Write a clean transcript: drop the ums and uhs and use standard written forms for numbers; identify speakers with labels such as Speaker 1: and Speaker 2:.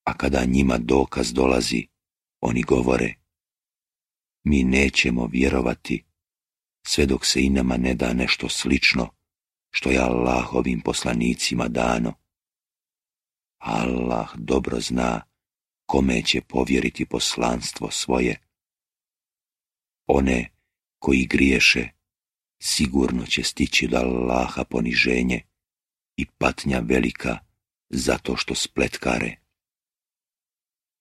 Speaker 1: A kada njima dokaz dolazi, oni govore: mi nećemo vjerovati sve dok se i nama ne da nešto slično što je Allahovim poslanicima dano. Allah dobro zna kome će povjeriti poslanstvo svoje. One koji griješe sigurno će stići do Allaha poniženje i patnja velika zato što spletkare.